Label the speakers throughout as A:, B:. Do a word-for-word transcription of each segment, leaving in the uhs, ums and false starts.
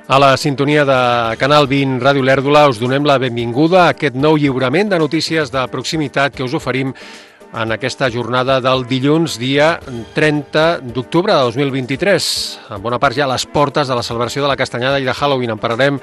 A: A la sintonia de Canal vint Ràdio Olèrdola us donem la benvinguda a aquest nou lliurament de notícies de proximitat que us oferim en aquesta jornada del dilluns, dia trenta d'octubre de dos mil vint-i-tres. En bona part ja a les portes de la celebració de la Castanyada i de Halloween. En parlarem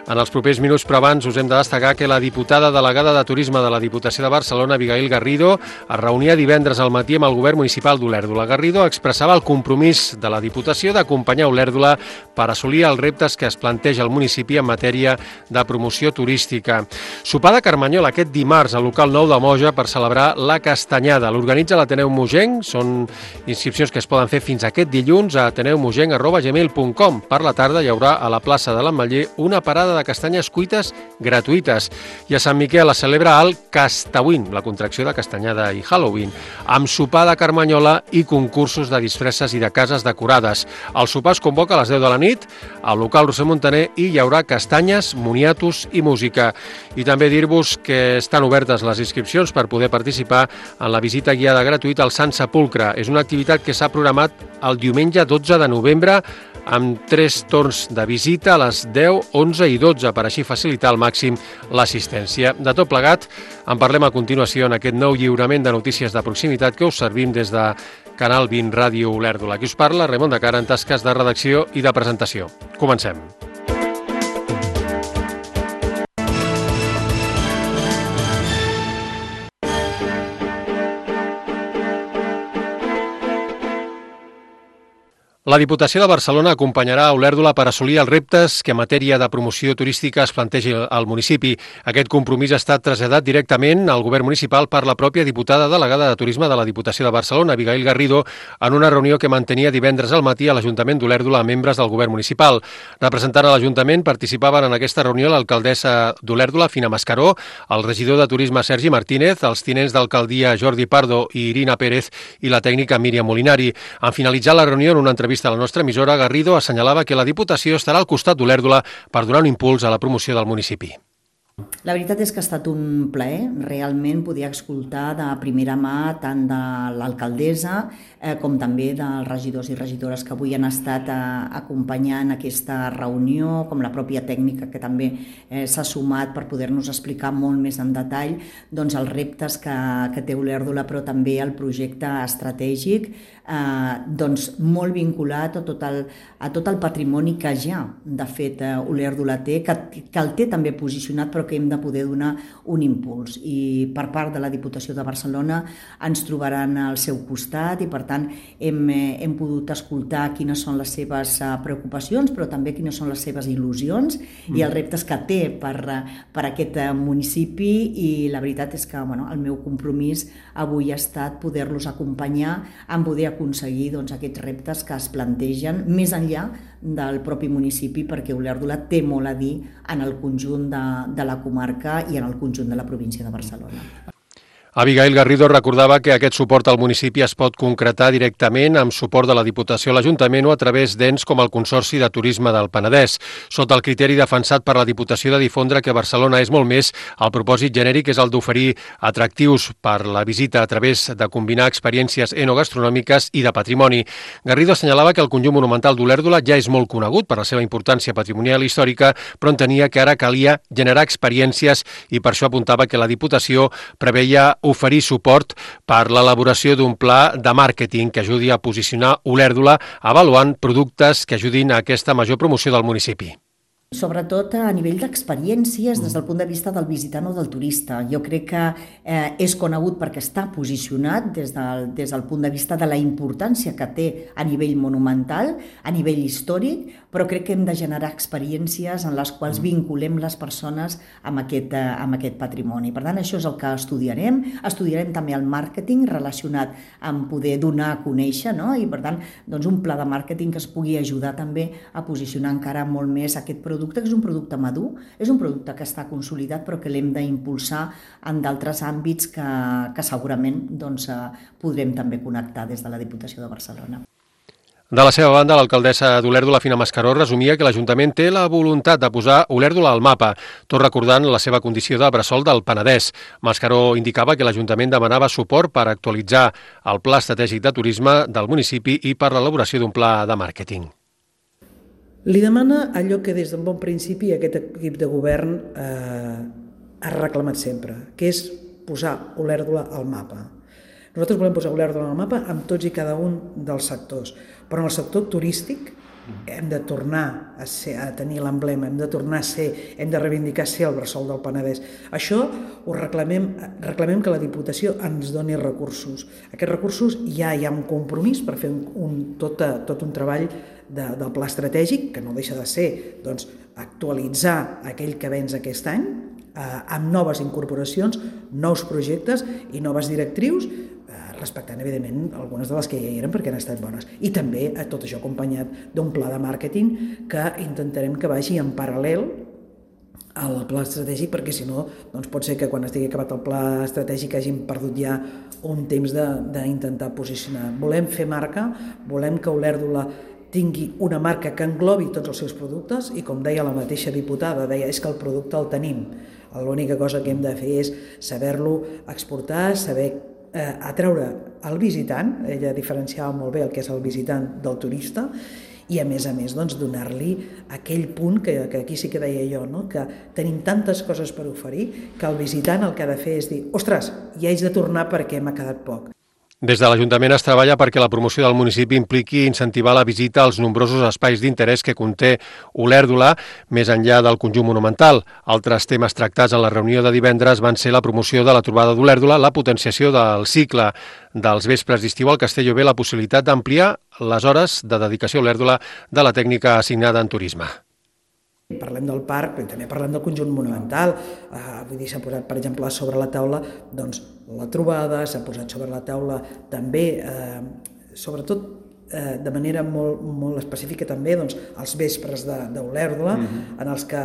A: en els propers minuts, però abans us hem de destacar que la diputada delegada de Turisme de la Diputació de Barcelona, Abigail Garrido, es reunia divendres al matí amb el govern municipal d'Olèrdola. Garrido expressava el compromís de la Diputació d'acompanyar Olèrdola per assolir els reptes que es planteja el municipi en matèria de promoció turística. Sopar de Carmanyola aquest dimarts al local nou de Moja per celebrar la Castanyada. L'organitza l'Ateneu Mogenc, són inscripcions que es poden fer fins aquest dilluns a ateneu mogenc arroba gmail punt com. Per la tarda hi haurà a la plaça de l'Ametller una parada de castanyes cuites gratuïtes. I a Sant Miquel es celebra el Castawin, la contracció de Castanyada i Halloween, amb sopar de Carmanyola i concursos de disfresses i de cases decorades. El sopar es convoca a les deu de la nit al local Roser Montaner i hi haurà castanyes, moniatos i música. I també dir-vos que estan obertes les inscripcions per poder participar en la visita guiada gratuïta al Sant Sepulcre. És una activitat que s'ha programat el diumenge dotze de novembre amb tres torns de visita a les deu, onze i dotze per així facilitar al màxim l'assistència. De tot plegat, en parlem a continuació en aquest nou lliurament de notícies de proximitat que us servim des de Canal vint Ràdio Olèrdola. Aquí us parla Raimon de Cara en tasques de redacció i de presentació. Comencem. La Diputació de Barcelona acompanyarà a Olèrdola per assolir els reptes que en matèria de promoció turística es plantegi al municipi. Aquest compromís ha estat traslladat directament al govern municipal per la pròpia diputada delegada de Turisme de la Diputació de Barcelona, Abigail Garrido, en una reunió que mantenia divendres al matí a l'Ajuntament d'Olèrdola amb membres del govern municipal. Representant a l'Ajuntament participaven en aquesta reunió l'alcaldessa d'Olèrdola, Fina Mascaró, el regidor de Turisme, Sergi Martínez, els tinents d'alcaldia, Jordi Pardo i Irina Pérez, i la tècnica Míriam Molinari. En finalitzar la reunió, en una entrevista a la nostra emissora, Garrido assenyalava que la Diputació estarà al costat d'Olèrdola per donar un impuls a la promoció del municipi.
B: La veritat és que ha estat un plaer realment poder escoltar de primera mà tant de l'alcaldessa eh, com també dels regidors i regidores que avui han estat eh, acompanyant aquesta reunió, com la pròpia tècnica que també eh, s'ha sumat per poder-nos explicar molt més en detall doncs, els reptes que, que té Olèrdola, però també el projecte estratègic eh, doncs, molt vinculat a tot, el, a tot el patrimoni que ja de fet eh, Olèrdola té, que, que el té també posicionat, però que hem de poder donar un impuls. I per part de la Diputació de Barcelona ens trobaran al seu costat i, per tant, hem, hem pogut escoltar quines són les seves preocupacions, però també quines són les seves il·lusions mm. i els reptes que té per, per aquest municipi. I la veritat és que bueno, el meu compromís avui ha estat poder-los acompanyar en poder aconseguir doncs, aquests reptes que es plantegen més enllà del propi municipi, perquè Olèrdola té molt a dir en el conjunt de, de la comarca i en el conjunt de la província de Barcelona.
A: Abigail Garrido recordava que aquest suport al municipi es pot concretar directament amb suport de la Diputació a l'Ajuntament o a través d'ens com el Consorci de Turisme del Penedès, sota el criteri defensat per la Diputació de difondre que Barcelona és molt més. El propòsit genèric és el d'oferir atractius per la visita a través de combinar experiències enogastronòmiques i de patrimoni. Garrido assenyalava que el conjunt monumental d'Olèrdola ja és molt conegut per la seva importància patrimonial i històrica, però entenia que ara calia generar experiències i per això apuntava que la Diputació preveia oferir suport per l'elaboració d'un pla de màrqueting que ajudi a posicionar Olèrdola avaluant productes que ajudin a aquesta major promoció del municipi.
B: Sobretot a nivell d'experiències des del punt de vista del visitant o del turista. Jo crec que eh, és conegut perquè està posicionat des del, des del punt de vista de la importància que té a nivell monumental, a nivell històric, però crec que hem de generar experiències en les quals vinculem les persones amb aquest, eh, amb aquest patrimoni. Per tant, això és el que estudiarem. Estudiarem també el màrqueting relacionat amb poder donar a conèixer, no? I per tant, doncs un pla de màrqueting que es pugui ajudar també a posicionar encara molt més aquest producte, que és un producte madur, és un producte que està consolidat però que l'hem d'impulsar en d'altres àmbits que, que segurament doncs, podrem també connectar des de la Diputació de Barcelona.
A: De la seva banda, l'alcaldessa d'Olèrdola, Fina Mascaró, resumia que l'Ajuntament té la voluntat de posar Olèrdola al mapa, tot recordant la seva condició de bressol del Penedès. Mascaró indicava que l'Ajuntament demanava suport per actualitzar el pla estratègic de turisme del municipi i per l'elaboració d'un pla de màrqueting.
C: Li demana allò que des d'un bon principi aquest equip de govern eh, ha reclamat sempre, que és posar Olèrdola al mapa. Nosaltres volem posar Olèrdola al mapa amb tots i cada un dels sectors, però en el sector turístic hem de tornar a, ser, a tenir l'emblema, hem de tornar a ser, hem de reivindicar ser el bressol del Penedès. Això ho reclamem, reclamem que la Diputació ens doni recursos. Aquests recursos ja hi ha un compromís per fer un, un, tot, tot un treball de, del pla estratègic, que no deixa de ser doncs, actualitzar aquell que vens aquest any, eh, amb noves incorporacions, nous projectes i noves directrius, respectant, evidentment, algunes de les que ja hi eren perquè han estat bones. I també a tot això acompanyat d'un pla de màrqueting que intentarem que vagi en paral·lel al pla estratègic, perquè si no, doncs pot ser que quan estigui acabat el pla estratègic hagin perdut ja un temps d'intentar posicionar. Volem fer marca, volem que Olèrdola tingui una marca que englobi tots els seus productes i, com deia la mateixa diputada, deia, és que el producte el tenim. L'única cosa que hem de fer és saber-lo exportar, saber eh, atreure el visitant, ella diferenciava molt bé el que és el visitant del turista, i a més a més doncs, donar-li aquell punt que, que aquí sí que deia jo, no? Que tenim tantes coses per oferir que el visitant el que ha de fer és dir, ostres, ja haig de tornar perquè m'ha quedat poc.
A: Des de l'Ajuntament es treballa perquè la promoció del municipi impliqui incentivar la visita als nombrosos espais d'interès que conté Olèrdola, més enllà del conjunt monumental. Altres temes tractats en la reunió de divendres van ser la promoció de la trobada d'Olèrdola, la potenciació del cicle dels vespres d'estiu al Castelló B, la possibilitat d'ampliar les hores de dedicació a Olèrdola de la tècnica assignada en turisme.
C: Parlem del parc, però també parlem del conjunt monumental. Uh, vull dir, s'ha posat, per exemple, sobre la taula doncs, la trobada, s'ha posat sobre la taula també, eh, sobretot eh, de manera molt, molt específica també, doncs, els vespres d'Olèrdola, mm-hmm. en els que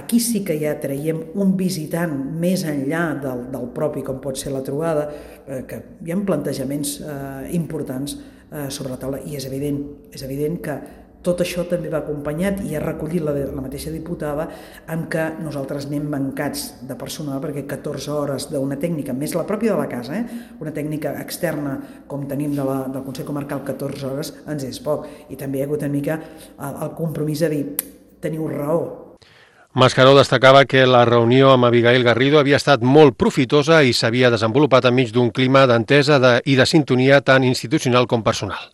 C: aquí sí que ja traiem un visitant més enllà del, del propi, com pot ser la trobada, eh, que hi ha plantejaments eh, importants eh, sobre la taula, i és evident, és evident que tot això també va acompanyat i ha recollit la, la mateixa diputada amb que nosaltres anem mancats de personal perquè catorze hores d'una tècnica, més la pròpia de la casa, eh? una tècnica externa com tenim de la, del Consell Comarcal, catorze hores ens és poc. I també hi ha hagut una mica el, el compromís de dir, teniu raó.
A: Mascaró destacava que la reunió amb Abigail Garrido havia estat molt profitosa i s'havia desenvolupat enmig d'un clima d'entesa de, i de sintonia tant institucional com personal.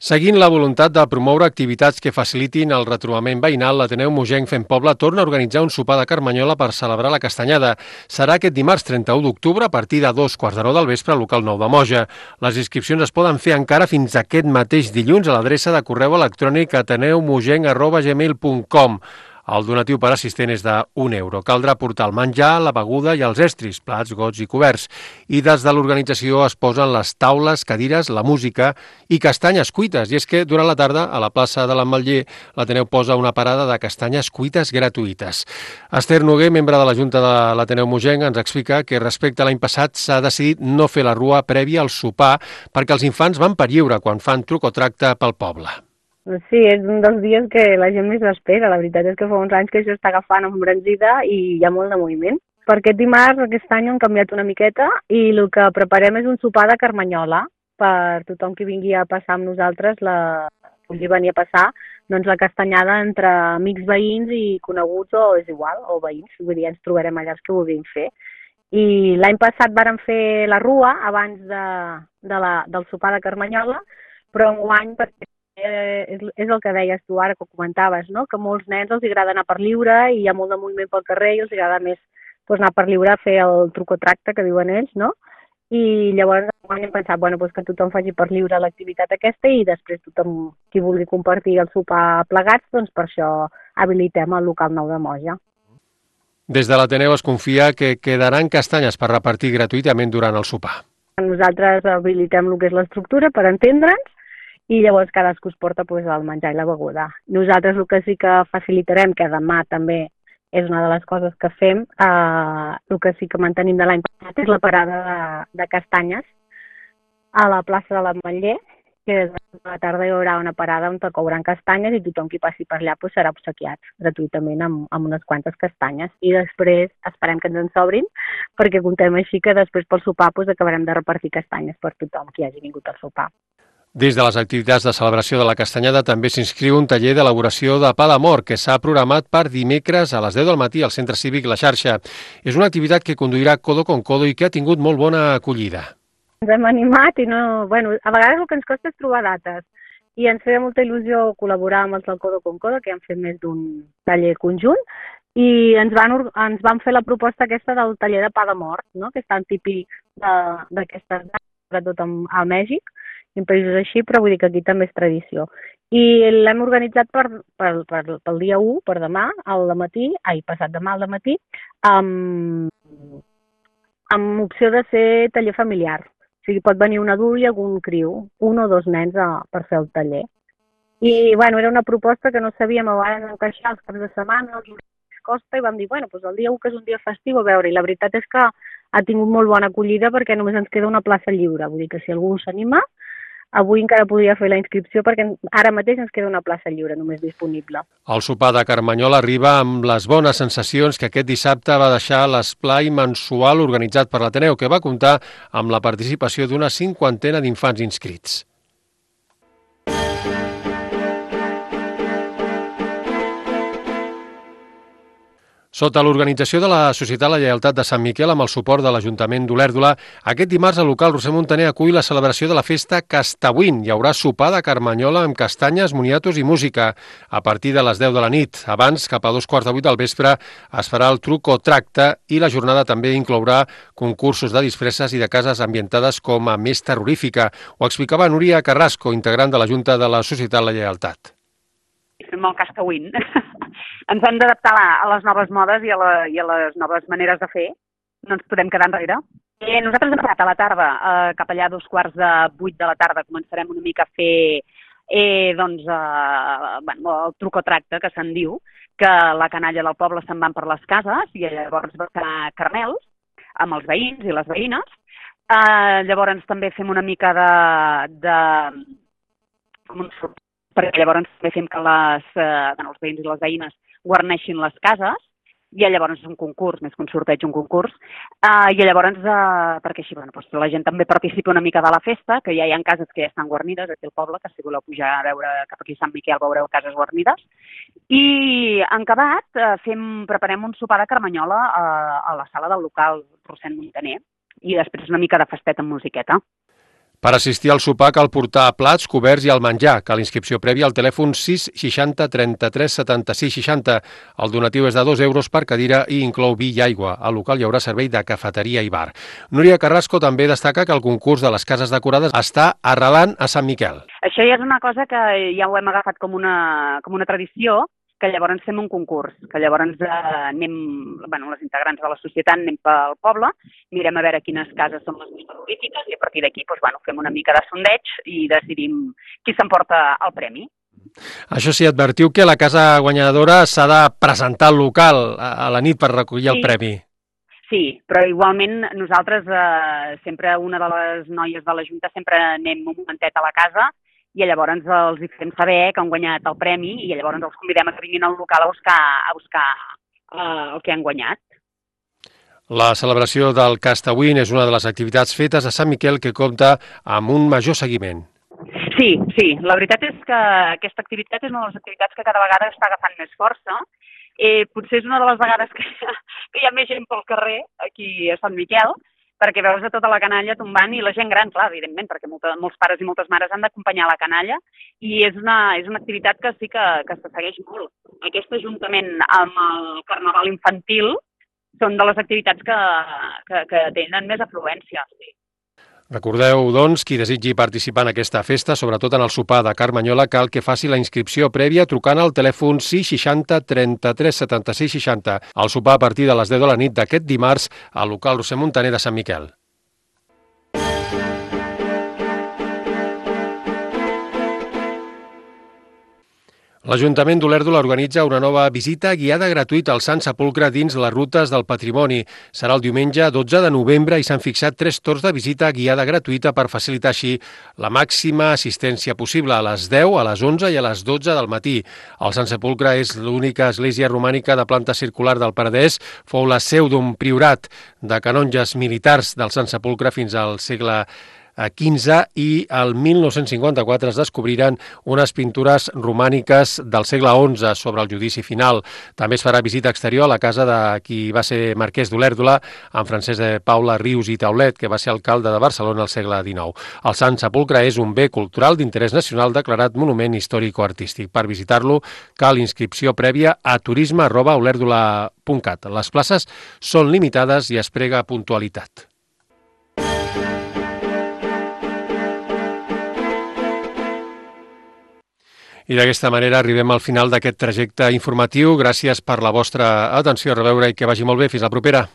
A: Seguint la voluntat de promoure activitats que facilitin el retrobament veïnal, l'Ateneu Mogenc Fem Poble torna a organitzar un sopar de Carmanyola per celebrar la Castanyada. Serà aquest dimarts trenta-u d'octubre a partir de dos quarts de nou del vespre al local nou de Moja. Les inscripcions es poden fer encara fins aquest mateix dilluns a l'adreça de correu electrònic ateneumogenc arroba gmail punt com. El donatiu per assistent és d'un euro. Caldrà portar el menjar, la beguda i els estris, plats, gots i coberts. I des de l'organització es posen les taules, cadires, la música i castanyes cuites. I és que durant la tarda, a la plaça de l'Ametller, l'Ateneu posa una parada de castanyes cuites gratuïtes. Esther Noguer, membre de la Junta de l'Ateneu Mogenc, ens explica que respecte a l'any passat s'ha decidit no fer la rua prèvia al sopar perquè els infants van per lliure quan fan truc o tracte pel poble.
D: Sí, és un dels dies que la gent més l'espera. La veritat és que fa uns anys que això està agafant embranzida i hi ha molt de moviment. Per aquest dimarts, aquest any, han canviat una miqueta i el que preparem és un sopar de Carmanyola per tothom que vingui a passar amb nosaltres, la... pugui venir a passar doncs, la castanyada entre amics veïns i coneguts o és igual, o veïns. Vull dir, ens trobarem allà els que vulguin fer. I l'any passat vàrem fer la rua abans de, de la, del sopar de Carmanyola, però enguany, perquè és el que deies tu ara, que comentaves, no? Que molts nens els agrada anar per lliure i hi ha molt de moviment pel carrer i els agrada més doncs, anar per lliure a fer el truc o tracte que diuen ells, no? I llavors hem pensat bueno, doncs que tothom faci per lliure l'activitat aquesta i després tothom qui vulgui compartir el sopar plegats, doncs per això habilitem el local nou de Moja.
A: Des de l'Ateneu es confia que quedaran castanyes per repartir gratuïtament durant el sopar.
D: Nosaltres habilitem el que és l'estructura per entendre'ns i llavors cadascú es porta pues, el menjar i la beguda. Nosaltres el que sí que facilitarem, que demà també és una de les coses que fem, eh, el que sí que mantenim de l'any passat és la parada de, de castanyes a la plaça de l'Ametller que a la tarda hi haurà una parada on couran castanyes i tothom qui passi per allà pues, serà obsequiat gratuïtament amb, amb unes quantes castanyes. I després esperem que ens en sobrin, perquè comptem així que després pel sopar pues, acabarem de repartir castanyes per tothom qui hagi vingut al sopar.
A: Dins de les activitats de celebració de la Castanyada també s'inscriu un taller d'elaboració de pa d'amor que s'ha programat per dimecres a les deu del matí al Centre Cívic La Xarxa. És una activitat que conduirà codo con codo i que ha tingut molt bona acollida.
D: Ens hem animat i no... Bueno, a vegades el que ens costa és trobar dates i ens feia molta il·lusió col·laborar amb els del Codo con Codo, que han fet més d'un taller conjunt, i ens van, ens van fer la proposta aquesta del taller de pa de mort, no? Que és tan típic d'aquestes dates, sobretot a Mèxic, i en països així, però vull dir que aquí també és tradició. I l'hem organitzat per, per, per, pel dia u, per demà, al matí, ai, passat demà al matí, amb, amb opció de ser taller familiar. O sigui, pot venir un adult i algun criu, un o dos nens a, per fer el taller. I, bueno, era una proposta que no sabíem a vegades encaixar els caps de setmana, els horaris costa, i vam dir, bueno, doncs el dia u, que és un dia festiu, a veure, i la veritat és que ha tingut molt bona acollida perquè només ens queda una plaça lliure. Vull dir que si algú s'anima, avui encara podria fer la inscripció perquè ara mateix ens queda una plaça lliure només disponible.
A: El sopar de Carmanyola arriba amb les bones sensacions que aquest dissabte va deixar l'esplai mensual organitzat per l'Ateneu, que va comptar amb la participació d'una cinquantena d'infants inscrits. Sota l'organització de la Societat La Lleialtat de Sant Miquel amb el suport de l'Ajuntament d'Olèrdola, aquest dimarts el local Roser Montaner acull la celebració de la festa Castauín. Hi haurà sopar de Carmanyola amb castanyes, moniatos i música a partir de les deu de la nit. Abans, cap a dos quarts de vuit del vespre, es farà el truc o tracte i la jornada també inclourà concursos de disfresses i de cases ambientades com a més terrorífica. Ho explicava Núria Carrasco, integrant de la Junta de la Societat La Lleialtat.
E: Fem el Castauín. Ens hem d'adaptar a les noves modes i a, la, i a les noves maneres de fer. No ens podem quedar enrere. Eh, nosaltres hem passat a la tarda, eh, cap allà a dos quarts de vuit de la tarda, començarem una mica a fer eh, doncs, eh, bueno, el truc o tracte, que se'n diu, que la canalla del poble se'n van per les cases i llavors va fer caramels amb els veïns i les veïnes. Eh, llavors també fem una mica de... de com un sort, perquè llavors també fem que les, eh, bueno, els veïns i les veïnes guarneixin les cases, i llavors és un concurs, més que un sorteig, un concurs, uh, i llavors, uh, perquè així bueno, doncs la gent també participa una mica de la festa, que ja hi ha cases que ja estan guarnides aquí al poble, que si voleu pujar a veure cap aquí a Sant Miquel veureu cases guarnides, i en acabat uh, fem, preparem un sopar de Carmanyola uh, a la sala del local Roser Montaner, i després una mica de festet amb musiqueta.
A: Per assistir al sopar cal portar plats, coberts i el menjar. Cal inscripció prèvia al telèfon sis seixanta trenta-tres setanta-sis seixanta. El donatiu és de dos euros per cadira i inclou vi i aigua. Al local hi haurà servei de cafeteria i bar. Núria Carrasco també destaca que el concurs de les cases decorades està arrelant a Sant Miquel.
E: Això ja és una cosa que ja ho hem agafat com una, com una tradició, que llavors fem un concurs, que llavors eh, anem, bueno, les integrants de la societat anem pel poble, mirem a veure quines cases són les més terrorífiques i a partir d'aquí doncs, bueno, fem una mica de sondeig i decidim qui s'emporta el premi.
A: Això sí, advertiu que la casa guanyadora s'ha de presentar al local a la nit per recollir el sí. premi.
E: Sí, però igualment nosaltres, eh, sempre una de les noies de la Junta, sempre anem un momentet a la casa i llavors els fem saber que han guanyat el premi i llavors els convidem a que vinguin al local a buscar, a buscar uh, el que han guanyat.
A: La celebració del Castauín és una de les activitats fetes a Sant Miquel que compta amb un major seguiment.
E: Sí, sí, la veritat és que aquesta activitat és una de les activitats que cada vegada està agafant més força. Eh, potser és una de les vegades que, que hi ha més gent pel carrer aquí a Sant Miquel, perquè veus a tota la canalla tombant i la gent gran, clar, evidentment, perquè molta, molts pares i moltes mares han d'acompanyar la canalla i és una, és una activitat que sí que, que se segueix molt. Aquest ajuntament amb el carnaval infantil són de les activitats que, que, que tenen més afluència. Sí.
A: Recordeu, doncs, qui desitgi participar en aquesta festa, sobretot en el sopar de Carmanyola, cal que faci la inscripció prèvia trucant al telèfon sis seixanta trenta-tres setanta-sis seixanta. El sopar a partir de les deu de la nit d'aquest dimarts al local Roser Montaner de Sant Miquel. L'Ajuntament d'Olèrdola organitza una nova visita guiada gratuïta al Sant Sepulcre dins les rutes del patrimoni. Serà el diumenge dotze de novembre i s'han fixat tres torns de visita guiada gratuïta per facilitar així la màxima assistència possible, a les deu, a les onze i a les dotze del matí. El Sant Sepulcre és l'única església romànica de planta circular del Penedès. Fou la seu d'un priorat de canonges militars del Sant Sepulcre fins al segle quinze i el mil nou-cents cinquanta-quatre es descobriren unes pintures romàniques del segle onze sobre el judici final. També es farà visita exterior a la casa de qui va ser marquès d'Olèrdola, en Francesc de Paula Rius i Taulet, que va ser alcalde de Barcelona al segle dinou. El Sant Sepulcre és un bé cultural d'interès nacional declarat monument històrico-artístic. Per visitar-lo cal inscripció prèvia a turisme arroba olèrdola punt cat. Les places són limitades i es prega puntualitat. I d'aquesta manera arribem al final d'aquest trajecte informatiu. Gràcies per la vostra atenció. A reveure i que vagi molt bé. Fins la propera.